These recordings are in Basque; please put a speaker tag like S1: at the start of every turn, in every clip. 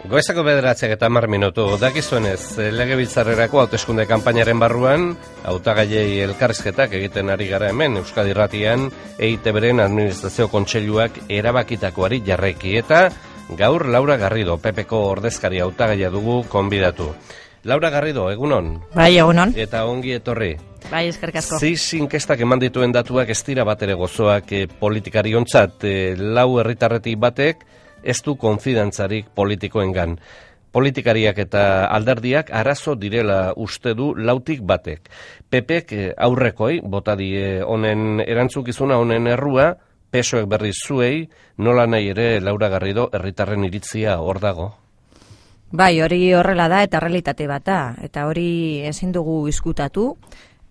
S1: Goizako 9:10 dakizuenez, legebiltzarrerako hauteskunde kanpainaren barruan, hautagaiei elkarrizketak egiten ari gara hemen Euskadi Irratian, EITBren administrazio kontseiluak erabakitakoari jarraiki eta gaur Laura Garrido, PPko ordezkari hautagaia dugu konbidatu. Laura Garrido, egunon?
S2: Bai, egunon.
S1: Eta ongi etorri.
S2: Bai, eskerrik asko.
S1: Ziz inkestak eman dituen datuak ez dira batere gozoak politikariontzat, lau herritarretik batek ez du konfidantzarik politikoengan. Politikariak eta alderdiak arazo direla uste du lautik batek. PPek aurrekoi, bota die honen erantzukizuna, honen errua, PSOek berriz zuei, nola nahi ere Laura Garrido herritarren iritzia hor dago.
S2: Bai, hori horrela da eta realitate bat da, eta hori ezin dugu izkutatu,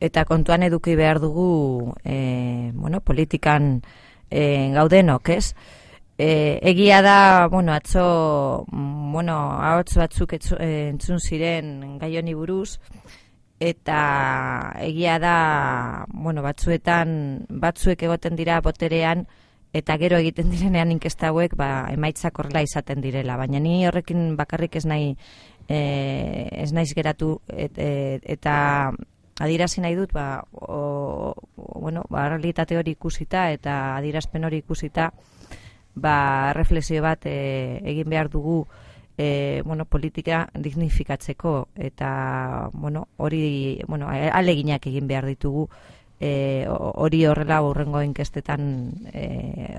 S2: eta kontuan eduki behar dugu politikan gaudenok, ez? Egia da, atzo, ahots batzuk entzun ziren gai honi buruz, eta egia da, batzuek egoten dira boterean, eta gero egiten direnean inkesta hauek, emaitzak horrela izaten direla. Baina ni horrekin bakarrik ez naiz geratu, eta adierazi nahi dut, realitate hori ikusita, eta adierazpen hori ikusita, reflexio bat egin behar dugu politika dignifikatzeko eta hori aleginak egin behar ditugu hori horrela hurrengo inkestetan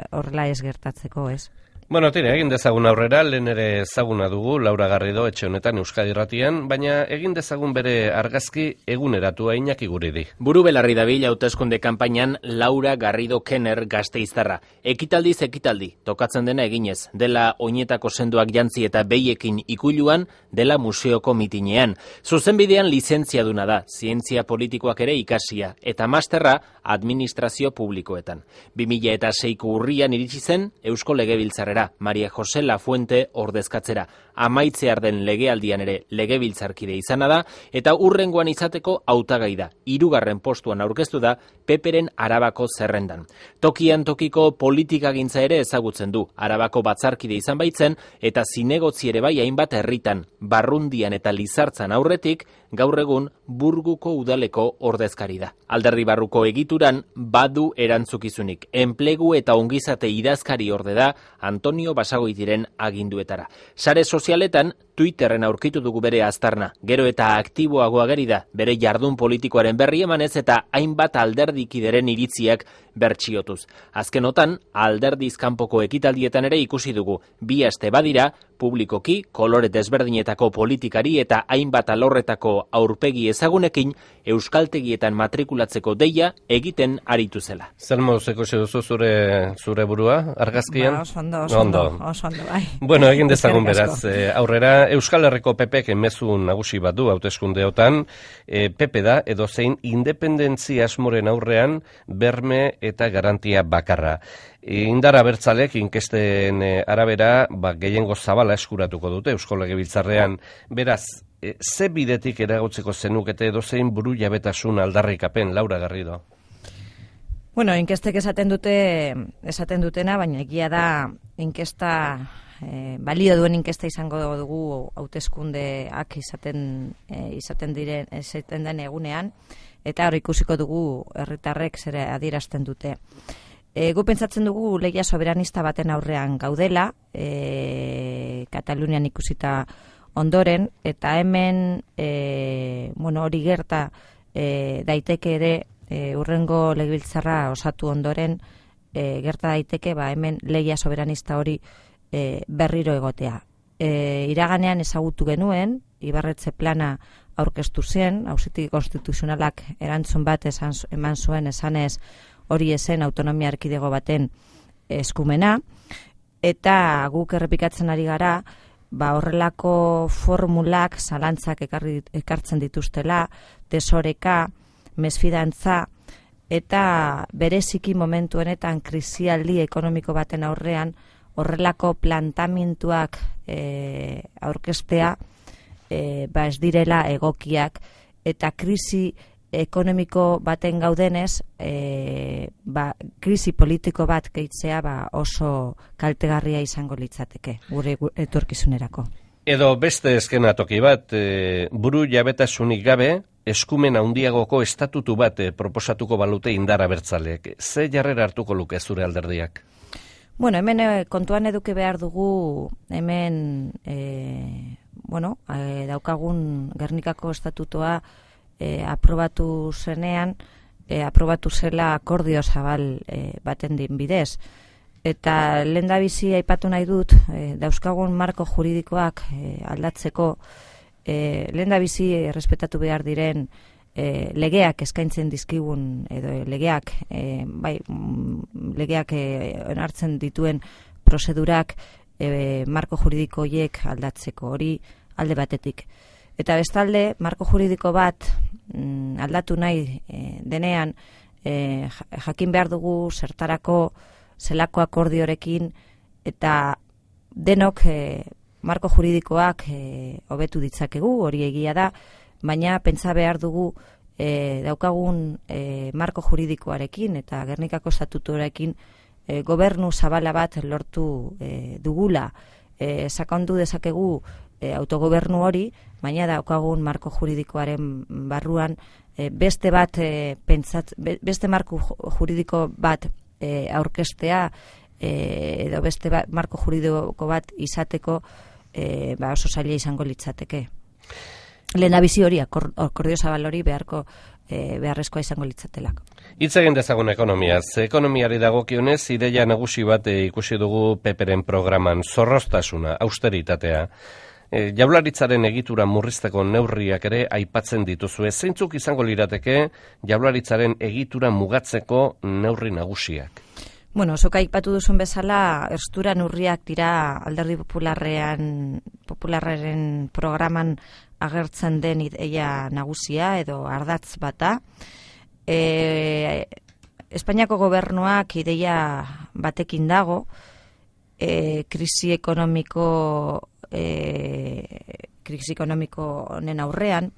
S2: horrela ez gertatzeko, ez?
S1: Tira, egin dezagun aurrera, lehen ere ezaguna dugu, Laura Garrido etxe honetan Euskadi Irratian, baina egin dezagun bere argazki eguneratua Iñaki Guridi.
S3: Buru belarri dabil hauteskunde kanpainan Laura Garrido Kenner Gasteiztarra. Ekitaldiz ekitaldi, tokatzen dena eginez, dela oinetako sendoak jantzi eta behiekin ikuiluan, dela museoko mitinean. Zuzenbidean lizentziaduna da, zientzia politikoak ere ikasia, eta masterra administrazio publikoetan. 2006ko urrian iritsi zen Eusko Legebiltzarrera. Maria Jose Lafuente ordezkatzera. Amaitzear den legealdian ere legebiltzarkide izana da, eta hurrengoan izateko hautagai da. 3. postuan aurkeztu da PPren Arabako zerrendan. Tokian tokiko politikagintza ere ezagutzen du. Arabako batzarkide izan baitzen, eta zinegotzi ere bai hainbat herritan, Barrundian eta Lizartzan aurretik, gaur egun Burguko udaleko ordezkari da. Alderdi barruko egituran badu erantzukizunik. Enplegu eta ongizate idazkari orde da Antonio Basagoitiren aginduetara. Sare sozialetan Twitterren aurkitu dugu bere aztarna. Gero eta aktiboago ageri da bere jardun politikoaren berri emanez eta hainbat alderdikideren iritziak bertsiotuz. Azkenotan, alderdiz kanpoko ekitaldietan ere ikusi dugu. 2 aste badira, publikoki, kolore desberdinetako politikari eta hainbat alorretako aurpegi ezagunekin euskaltegietan matrikulatzeko deia egiten aritu zela.
S1: Zer moduz ikusi duzu zure burua, argazkian?
S2: Oso ondo, bai.
S1: Egin dezagun beraz, aurrera, Euskal Herriko PPek mezu nagusi bat du hauteskundeotan, PP da edozein independentzia asmoren aurrean berme eta garantia bakarra. Indar abertzalek inkesten arabera gehiengo zabala eskuratuko dute Eusko Legebiltzarrean. Beraz, ze bidetik eragotzeko zenukete edozein buru jabetasun aldarrikapen, Laura Garrido?
S2: Inkestek esaten dutena, baina egia da inkesta, balio duen inkesta izango dugu hauteskundeak izaten den egunean, eta hori ikusiko dugu herritarrek zer adierazten dute. Gu pentsatzen dugu lehia soberanista baten aurrean gaudela, Katalunian ikusita ondoren, eta hemen hori gerta daiteke ere hurrengo legebiltzarra osatu ondoren gerta daiteke hemen lehia soberanista hori berriro egotea. Iraganean ezagutu genuen, Ibarretxe plana aurkeztu zen, Auzitegi Konstituzionalak erantzun bat eman zuen esanez hori esen autonomia erkidego baten eskumena, eta guk errepikatzen ari gara, horrelako formulak zalantzak ekartzen dituztela, desoreka, mesfidantza, eta bereziki momentu honetan krisialdi ekonomiko baten aurrean horrelako plantamentuak aurkeztea ez direla egokiak, eta krisi ekonomiko baten gaudenez, krisi politiko bat gehitzea oso kaltegarria izango litzateke gure etorkizunerako.
S1: Edo beste eskenatoki bat, buru jabetasunik gabe, eskumen handiagoko estatutu bat proposatuko balute indar abertzaleek. Ze jarrera hartuko luke zure alderdiak?
S2: Bueno, hemen kontuan eduki behar dugu, hemen daukagun Gernikako estatutoa aprobatu zenean, aprobatu zela akordio zabal baten din bidez. Eta lehendabizi aipatu nahi dut, dauzkagun marko juridikoak aldatzeko, lehendabizi errespetatu behar diren legeak eskaintzen dizkigun, edo legeak onartzen dituen prozedurak marko juridiko horiek aldatzeko, hori alde batetik. Eta bestalde, marko juridiko bat aldatu nahi denean, jakin behar dugu zertarako, zelako akordiorekin, eta denok marko juridikoak hobetu ditzakegu, hori egia da, baina pentsa behar dugu daukagun marko juridikoarekin eta Gernikako estatutuarekin gobernu zabala bat lortu dugula. Sakondu dezakegu autogobernu hori, baina daukagun marko juridikoaren barruan beste marko juridiko bat aurkestea edo beste marko juridiko bat izateko oso zaila izango litzateke. Lehendabizi hori, akordio zabal hori beharrezkoa izango litzatelako.
S1: Hitz egin dezagun ekonomiaz. Ekonomiari dagokionez, ideia nagusi bat ikusi dugu PPren programan, zorroztasuna, austeritatea. Jaurlaritzaren egitura murrizteko neurriak ere aipatzen dituzue. Zeintzuk izango lirateke Jaurlaritzaren egitura mugatzeko neurri nagusiak?
S2: Bueno, zuk aipatu duzun bezala, erstura neurriak dira Alderdi Popularraren programan agertzen den ideia nagusia edo ardatz bata. Espainiako gobernuak ideia batekin dago, krisi ekonomiko honen aurrean,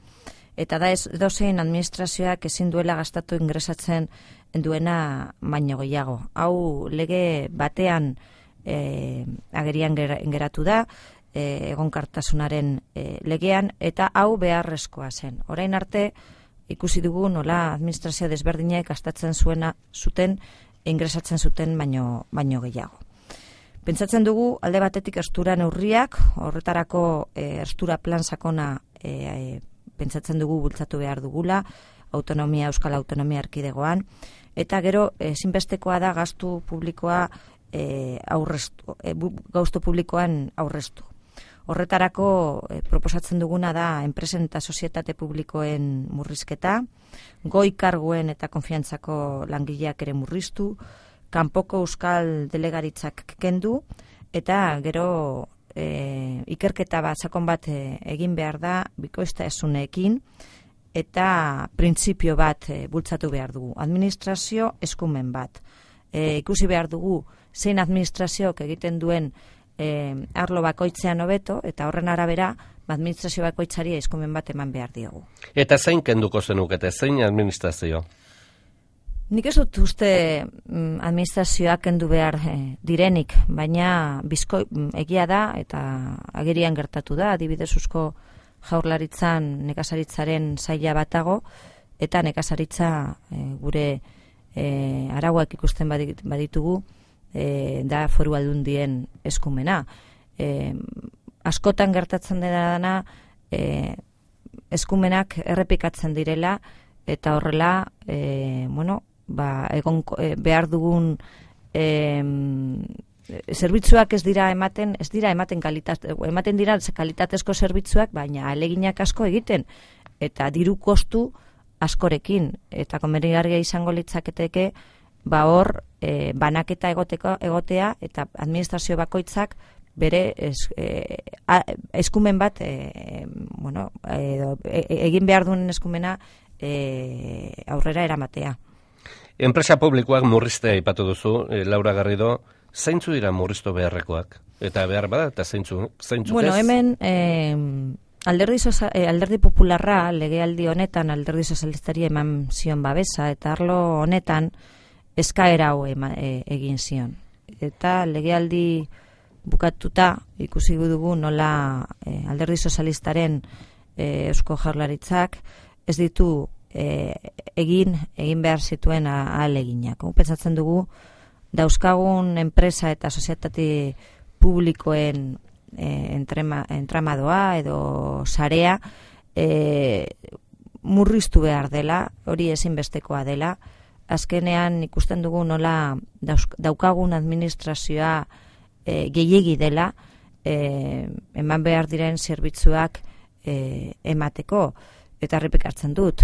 S2: eta da edozein administrazioak ezin duela gastatu ingresatzen duena baino gehiago. Hau lege batean agerian geratu da, egonkartasunaren legean, eta hau beharrezkoa zen. Orain arte ikusi dugu nola administrazio desberdinek gastatzen zuten ingresatzen zuten baino gehiago. Pentsatzen dugu alde batetik erstura neurriak, horretarako erstura plan sakona pentsatzen dugu bultzatu behar dugula, Euskal Autonomia Erkidegoan, eta gero ezinbestekoa da gastu publikoa gastu publikoan aurreztu. Horretarako proposatzen duguna da enpresen eta sozietate publikoen murrizketa, goi karguen eta konfiantzako langileak ere murriztu, kanpoko euskal delegaritzak kendu, eta gero ikerketa bat, sakon bat egin behar da, bikoiztasunekin, eta printzipio bat bultzatu behar dugu. Administrazio eskumen bat. Ikusi behar dugu zein administrazioak egiten duen arlo bakoitzean hobeto, eta horren arabera administrazio bakoitzari eskumen bat eman behar diogu. Eta
S1: zein kenduko zenukete, zein administrazio?
S2: Nik ez dut uste administrazioak kendu behar direnik, baina egia da eta agerian gertatu da, adibidez Eusko Jaurlaritzan nekazaritzaren saila batago, eta nekazaritza gure arauak ikusten baditugu da Foru Aldundien eskumena. Askotan gertatzen dena eskumenak errepikatzen direla, eta horrela behar dugun zerbitzuak ematen dira kalitatezko zerbitzuak, baina ahaleginak asko egiten, eta diru kostu askorekin, eta komenigarria izango litzaketeke hor banaketa egotea, eta administrazio bakoitzak bere eskumen bat egin behar duen eskumena aurrera eramatea.
S1: Enpresa publikoak murriztea aipatu duzu, Laura Garrido, zeintzu dira murriztu beharrekoak? Eta behar bada, eta zeintzu
S2: Bueno, hemen Alderdi Popularra legealdi honetan Alderdi Sozialistari eman zion babesa, eta arlo honetan eskaera hau egin zion. Eta legealdi bukatuta ikusi dugu nola Alderdi Sozialistaren Eusko Jaurlaritzak ez ditu egin behar zituen ahaleginak. Pentsatzen dugu dauzkagun enpresa eta sozietate publikoen entramadoa edo sarea murriztu behar dela, hori ezinbestekoa dela. Azkenean ikusten dugu nola daukagun administrazioa gehiegi dela eman behar diren zerbitzuak emateko. Eta errepikatzen dut,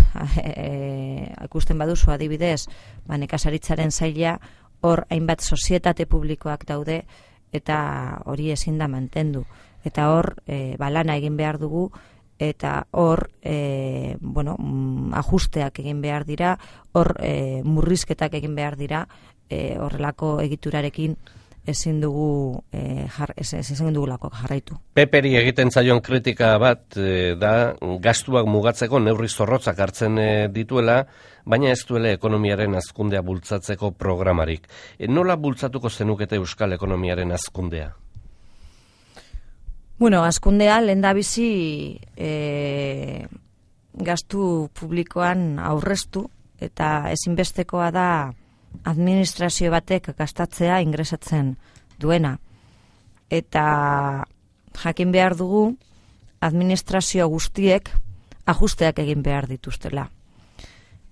S2: ikusten baduzu adibidez, nekazaritzaren saila hor hainbat sozietate publikoak daude eta hori ezin da mantendu. Eta hor lana egin behar dugu eta hor ajusteak egin behar dira, hor murrizketak egin behar dira, horrelako egiturarekin ezin dugulako jarraitu.
S1: Peperi egiten zaion kritika bat da gastuak mugatzeko neurri zorrotzak hartzen dituela, baina ez duela ekonomiaren hazkundea bultzatzeko programarik. Nola bultzatuko zenukete euskal ekonomiaren hazkundea?
S2: Hazkundea lehendabizi gastu publikoan aurreztu eta ezinbestekoa da administrazio batek gastatzea ingresatzen duena. Eta jakin behar dugu administrazio guztiek ajusteak egin behar dituztela.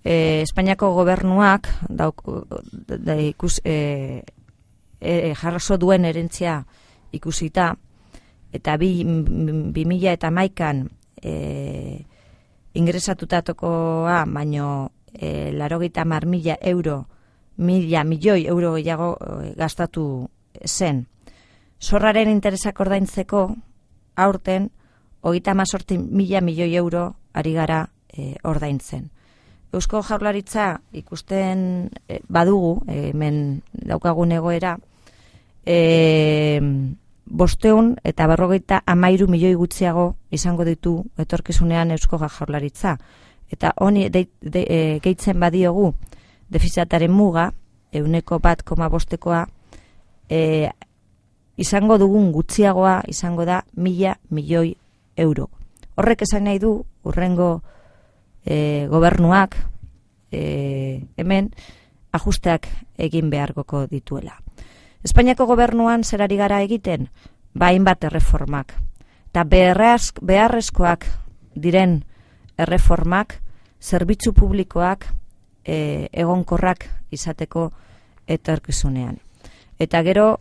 S2: Espainiako gobernuak jarraso duen erentzia ikusita eta 2011an ingresatutakoa baino 80.000 euro, 1.000 milioi euro gehiago gastatu zen. Zorraren interesak ordaintzeko aurten 38.000 milioi euro ari gara ordaintzen. Eusko Jaurlaritza ikusten badugu, hemen daukagun egoera, 553 milioi gutxiago izango ditu etorkizunean Eusko Jaurlaritza. Eta honi gehitzen badiogu defizitaren muga, 1,5%koa, izango dugun gutxiagoa izango da 1.000 milioi euro. Horrek esan nahi du, hurrengo gobernuak hemen ajusteak egin beharko dituela. Espainiako gobernuan zerari gara egiten, hainbat erreformak. Eta beharrezkoak diren erreformak, zerbitzu publikoak egonkorrak izateko etorkizunean. Eta gero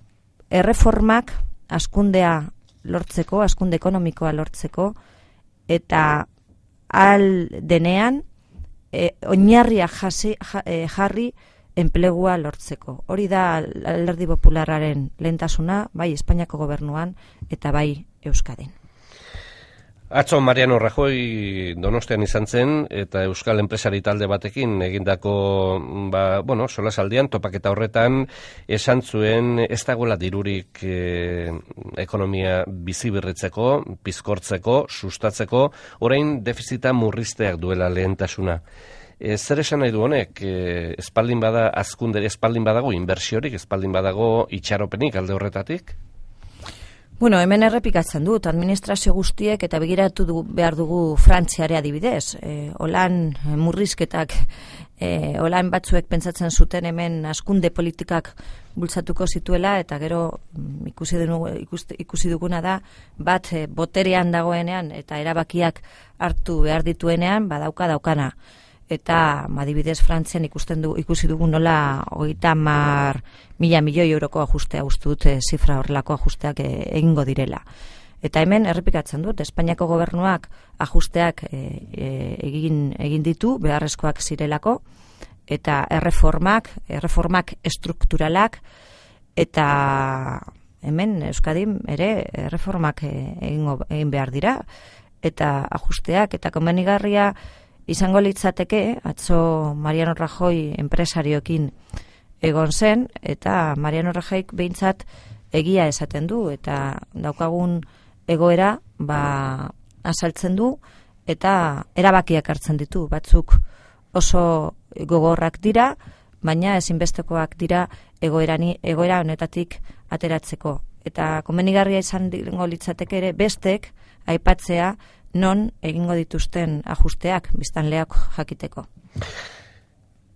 S2: erreformak hazkundea lortzeko, hazkunde ekonomikoa lortzeko, eta ahal denean oinarria jarri enplegua lortzeko. Hori da Alderdi Popularraren lehentasuna, bai Espainiako gobernuan eta bai Euskadin.
S1: Atzo Mariano Rajoy Donostian izan zen eta euskal enpresari talde batekin egindako solasaldian topaketa horretan esan zuen ez dagoela dirurik ekonomia biziberritzeko, pizkortzeko, sustatzeko, orain defizita murrizteak duela lehentasuna. Zer esan nahi du honek? Espaldin bada hazkundere, espaldin badago inbertsiorik, espaldin badago itxaropenik alde horretatik?
S2: Hemen errepikatzen dut, administrazio guztiek eta begiratu behar dugu Frantziare adibidez. Holan murrizketak, holan batzuek pentsatzen zuten hemen hazkunde politikak bultzatuko zituela, eta gero ikusi duguna da, bat boterean dagoenean eta erabakiak hartu behar dituenean, daukana. Eta adibidez Frantzian ikusi dugu nola 30.000 milioi euroko ajustea uste dute zifra horrelako ajusteak egingo direla. Eta hemen errepikatzen dut, Espainiako gobernuak ajusteak egin ditu, beharrezkoak zirelako, eta erreformak estrukturalak, eta hemen Euskadin ere erreformak egin behar dira, eta ajusteak, eta komenigarria izango litzateke, atzo Mariano Rajoy enpresarioekin egon zen, eta Mariano Rajoy behintzat egia esaten du, eta daukagun egoera azaltzen du, eta erabakiak hartzen ditu. Batzuk oso gogorrak dira, baina ezinbestekoak dira egoera honetatik ateratzeko. eta komenigarria izango litzateke ere bestek aipatzea non egingo dituzten ajusteak biztanleak jakiteko.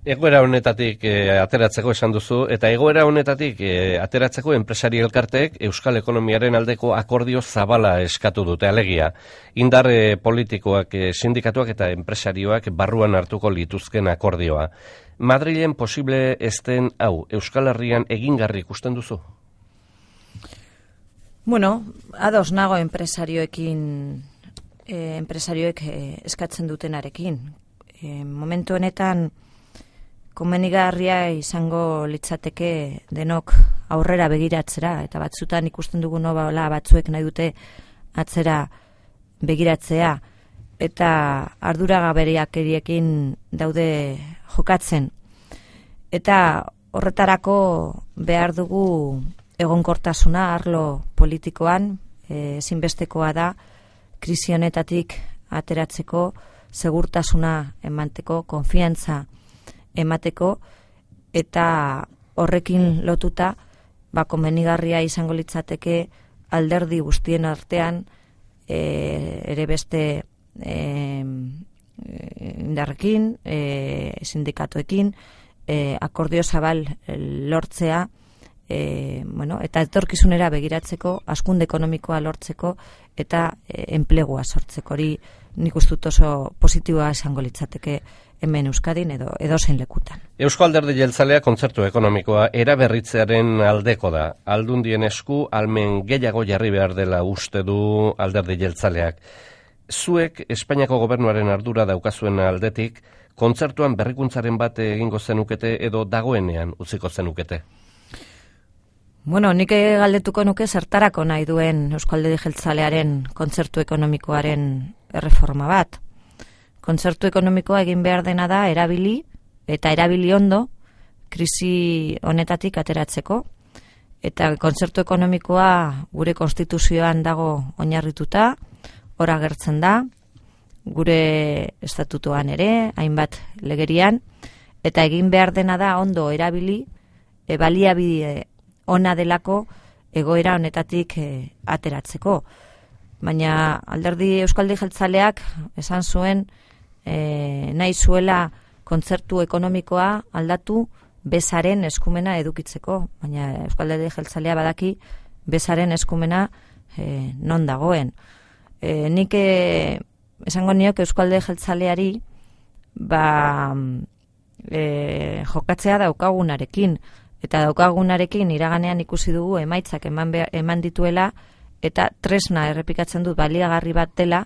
S1: Egoera honetatik ateratzeko esan duzu, eta egoera honetatik ateratzeko enpresari elkarteek Euskal Ekonomiaren aldeko akordio zabala eskatu dute, alegia. Indar politikoak, sindikatuak eta enpresarioak barruan hartuko lituzken akordioa. Madrilen posible ezten hau, Euskal Herrian egingarri ikusten duzu?
S2: Bueno, ados nago enpresarioek eskatzen dutenarekin. Momentu honetan komenigarria izango litzateke denok aurrera begiratzera, eta batzutan ikusten dugu nola batzuek nahi dute atzera begiratzea, eta arduragaberiekin daude jokatzen. Eta horretarako behar dugu egonkortasuna arlo politikoan, ezinbestekoa da krisi honetatik ateratzeko, segurtasuna emateko, konfiantza emateko, eta horrekin lotuta komenigarria izango litzateke alderdi guztien artean ere beste indarrekin, sindikatuekin, akordio zabal lortzea, eta etorkizunera begiratzeko, hazkunde ekonomikoa lortzeko eta enplegua sortzeko. Hori nik uste dut oso positiboa izango litzateke hemen Euskadin edo zein lekutan.
S1: Eusko Alderdi Jeltzalea kontzertu ekonomikoa eraberritzearen aldeko da. Aldundien esku almen gehiago jarri behar dela uste du Alderdi Jeltzaleak. Zuek Espainiako gobernuaren ardura daukazuen aldetik, kontzertuan berrikuntzaren bat egingo zenukete edo dagoenean utziko zenukete?
S2: Bueno, nik galdetuko nuke zertarako nahi duen Eusko Alderdi Jeltzalearen kontzertu ekonomikoaren erreforma bat. Kontzertu ekonomikoa egin behar dena da erabili ondo krisi honetatik ateratzeko. Eta kontzertu ekonomikoa gure konstituzioan dago oinarrituta, hor agertzen da, gure estatutoan ere, hainbat legerian, eta egin behar dena da ondo erabili, baliabide ona delako egoera honetatik ateratzeko. Baina Eusko Alderdi Jeltzaleak esan zuen nahi zuela kontzertu ekonomikoa aldatu bezaren eskumena edukitzeko. Baina Eusko Alderdi Jeltzalea badaki bezaren eskumena non dagoen. Nik esango nioke Eusko Alderdi Jeltzaleari jokatzea daukagunarekin. Eta daukagunarekin iraganean ikusi dugu emaitzak eman dituela, eta tresna errepikatzen dut baliagarri bat dela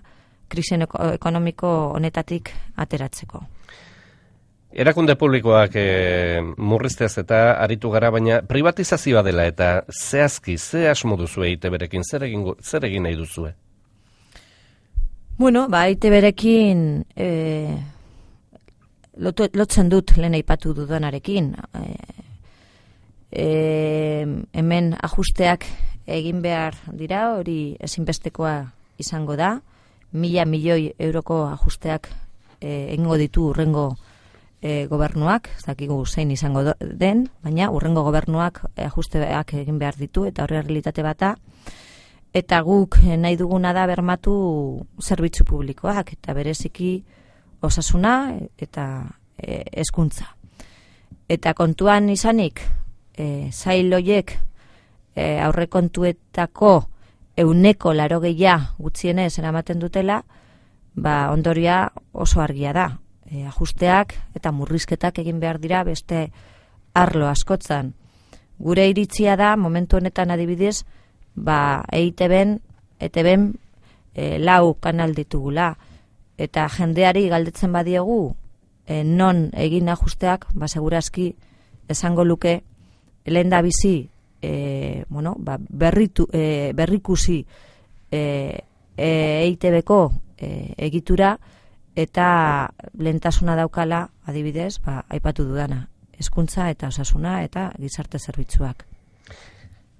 S2: krisi ekonomiko honetatik ateratzeko.
S1: Erakunde publikoak murrizteaz eta aritu gara, baina privatizazioa dela eta zehazki, ze asmo duzue EITB-rekin, zer egin nahi duzue?
S2: Bueno, EITB-rekin lotzen dut lehen aipatu dudanarekin. Hemen ajusteak egin behar dira, hori ezinbestekoa izango da, 1.000 milioi euroko ajusteak egingo ditu urrengo gobernuak, ez dakigu zein izango den, baina urrengo gobernuak ajusteak egin behar ditu, eta horri realitate bata, eta guk nahi duguna da bermatu zerbitzu publikoak, eta bereziki osasuna eta hezkuntza. Eta kontuan izanik, zail horiek aurrekontuetako 80% gutxienez eramaten dutela, ondoria oso argia da. Ajusteak eta murrizketak egin behar dira beste arlo askotzan. Gure iritzia da, momentu honetan adibidez, EITB-en 4 kanal ditugula. Eta jendeari galdetzen badiegu, non egin ajusteak, segurazki esango luke, lehen da bizi, berrikusi EITB-ko egitura, eta lehentasuna daukala, adibidez, aipatu dudana, hezkuntza eta osasuna eta gizarte zerbitzuak.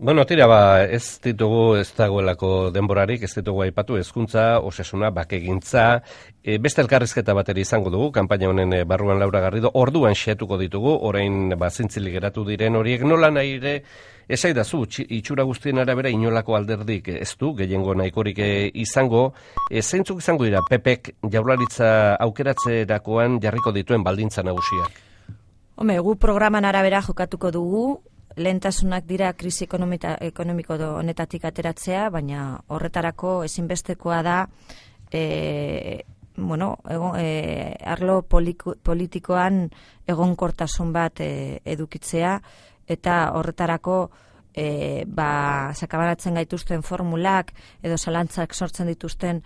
S1: Bueno, tira, ez dagoelako denborarik, ez ditugu aipatu, hezkuntza, osasuna, bakegintza, beste elkarrizketa bateri izango dugu, kanpaina honen barruan Laura Garrido, orduan xeatuko ditugu, orain zintzilik geratu diren horiek, nola nahi ere, esaidazu, itxura guztien arabera inolako alderdik ez du, gehiengo nahikorik izango, zeintzuk izango dira, PPek Jaurlaritza aukeratzerakoan jarriko dituen baldintza nagusiak?
S2: Gu programan arabera jokatuko dugu, lehentasunak dira krisi ekonomiko honetatik ateratzea, baina horretarako ezinbestekoa da arlo politikoan egonkortasun bat edukitzea, eta horretarako sakabaratzen gaituzten formulak edo zalantzak sortzen dituzten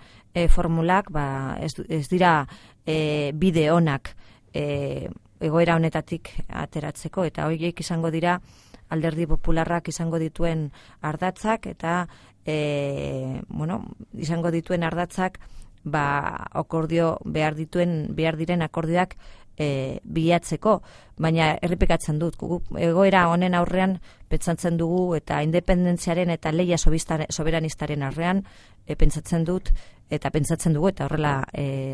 S2: formulak ez dira bide onak egoera honetatik ateratzeko, eta horiek izango dira Alderdi Popularrak izango dituen ardatzak, eta izango dituen ardatzak akordio behar diren akordioak bilatzeko, baina errepikatzen dut, egoera honen aurrean pentsatzen dugu, eta independentziaren eta lehia soberanistaren aurrean pentsatzen dugu, eta horrela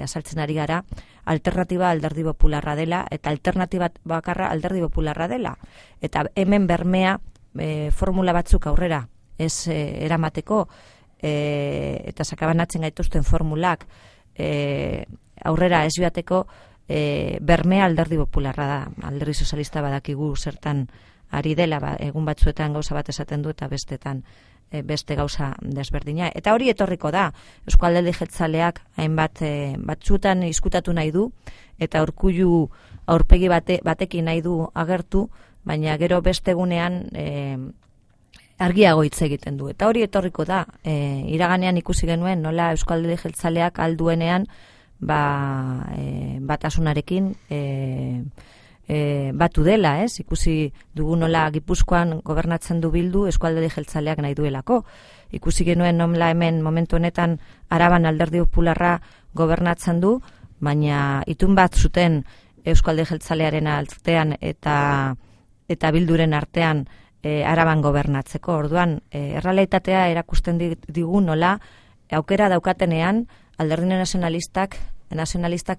S2: azaltzen ari gara, alternatiba Alderdi Popularra dela, eta alternatiba bakarra Alderdi Popularra dela, eta hemen bermea formula batzuk aurrera ez eramateko, eta sakabanatzen gaituzten formulak aurrera ez joateko, bermea Alderdi Popularra da. Alderdi Sozialista badakigu zertan ari dela, egun batzuetan gauza bat esaten du eta bestetan beste gauza desberdina. Eta hori etorriko da. Eusko Alderdi Jeltzaleak hainbat batzuetan izkutatu nahi du, eta Urkullu aurpegi batekin nahi du agertu, baina gero beste egunean argiago hitz egiten du. Eta hori etorriko da. Iraganean ikusi genuen nola Eusko Alderdi Jeltzaleak alduenean batasunarekin batu dela, ez? Ikusi dugu nola Gipuzkoan gobernatzen du Bildu, Eusko Alderdi Jeltzaleak nahi duelako. Ikusi genuen nola hemen momentu honetan Araban Alderdi Popularra gobernatzen du, baina itun bat zuten Eusko Alderdi Jeltzalearen artean eta Bilduren artean Araban gobernatzeko. Orduan, errealitatea erakusten digu nola aukera daukatenean Alderdi nazionalistak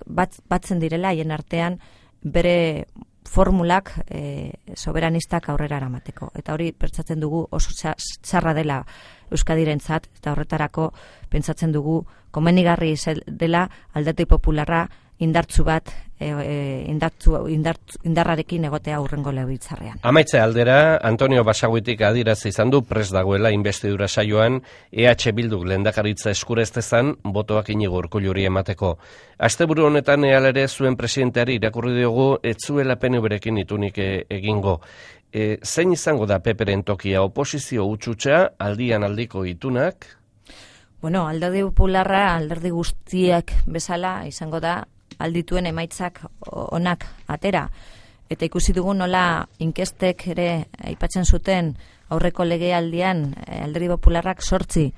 S2: batzen direla haien artean bere formulak soberanistak aurrera eramateko. Eta hori pentsatzen dugu oso txarra dela Euskadirentzat, eta horretarako pentsatzen dugu komenigarri dela Alderdi Popularra indartsu bat indarrarekin egotea hurrengo legebiltzarrean.
S1: Amaitze aldera, Antonio Basaguitik adierazi izan du prest dagoela inbestidura saioan EH Bilduk lehendakaritza eskura ez dezan botoak Inigo Urkulluri emateko. Asteburu honetan ere zuen presidenteari irakurri diogu ez zuela PNV-rekin itunik egingo. Zein izango da PPren tokia, oposizio hutsutsa, aldian aldiko itunak?
S2: Bueno, Alderdi Popularra alderdi guztiak bezala izango da aldituen emaitzak onak atera. Eta ikusi dugu nola inkestek ere aipatzen zuten aurreko legealdian Alderdi Popularrak 8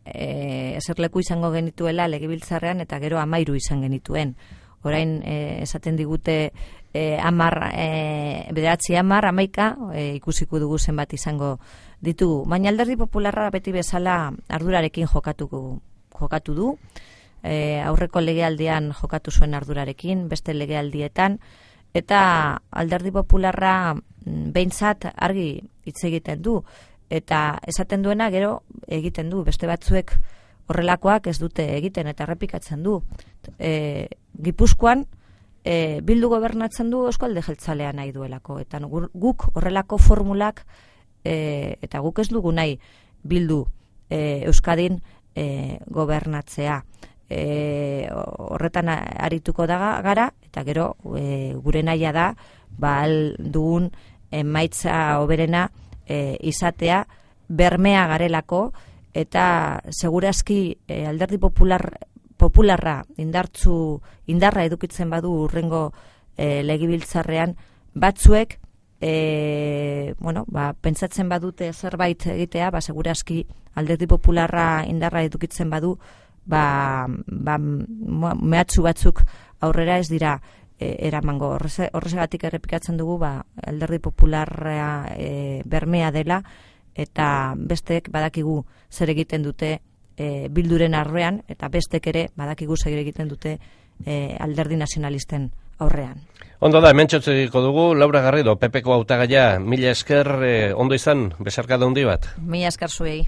S2: eserleku izango genituela legebiltzarrean, eta gero 13 izan genituen. Orain esaten digute 10, 11, ikusiko dugu zenbat izango ditugu. Baina Alderdi Popularra beti bezala ardurarekin jokatu du. Aurreko legealdian jokatu zuen ardurarekin, beste legealdietan, eta Alderdi Popularra behintzat argi hitz egiten du, eta esaten duena gero egiten du, beste batzuek horrelakoak ez dute egiten, eta errepikatzen du. Gipuzkoan Bildu gobernatzen du Eusko Alderdi Jeltzalea nahi duelako, eta guk horrelako formulak, eta guk ez dugu nahi Bildu Euskadin gobernatzea. Horretan arituko gara, eta gero gure nahia da dugun emaitza hoberena izatea bermea garelako, eta segurazki Alderdi Popularra indarra edukitzen badu hurrengo legebiltzarrean, batzuek pentsatzen badute zerbait egitea, segurazki Alderdi Popularra indarra edukitzen badu, mehatxu batzuk aurrera ez dira eramango. Horregatik errepikatzen dugu, alderdi popularra bermea dela, eta bestek badakigu zer egiten dute Bilduren arrean, eta bestek ere badakigu zer egiten dute alderdi nazionalisten aurrean.
S1: Ondo da, hemen txotzeko dugu, Laura Garrido, PP-ko hautagaia, mila esker, ondo izan, besarkada handi bat.
S2: Mila esker zuei.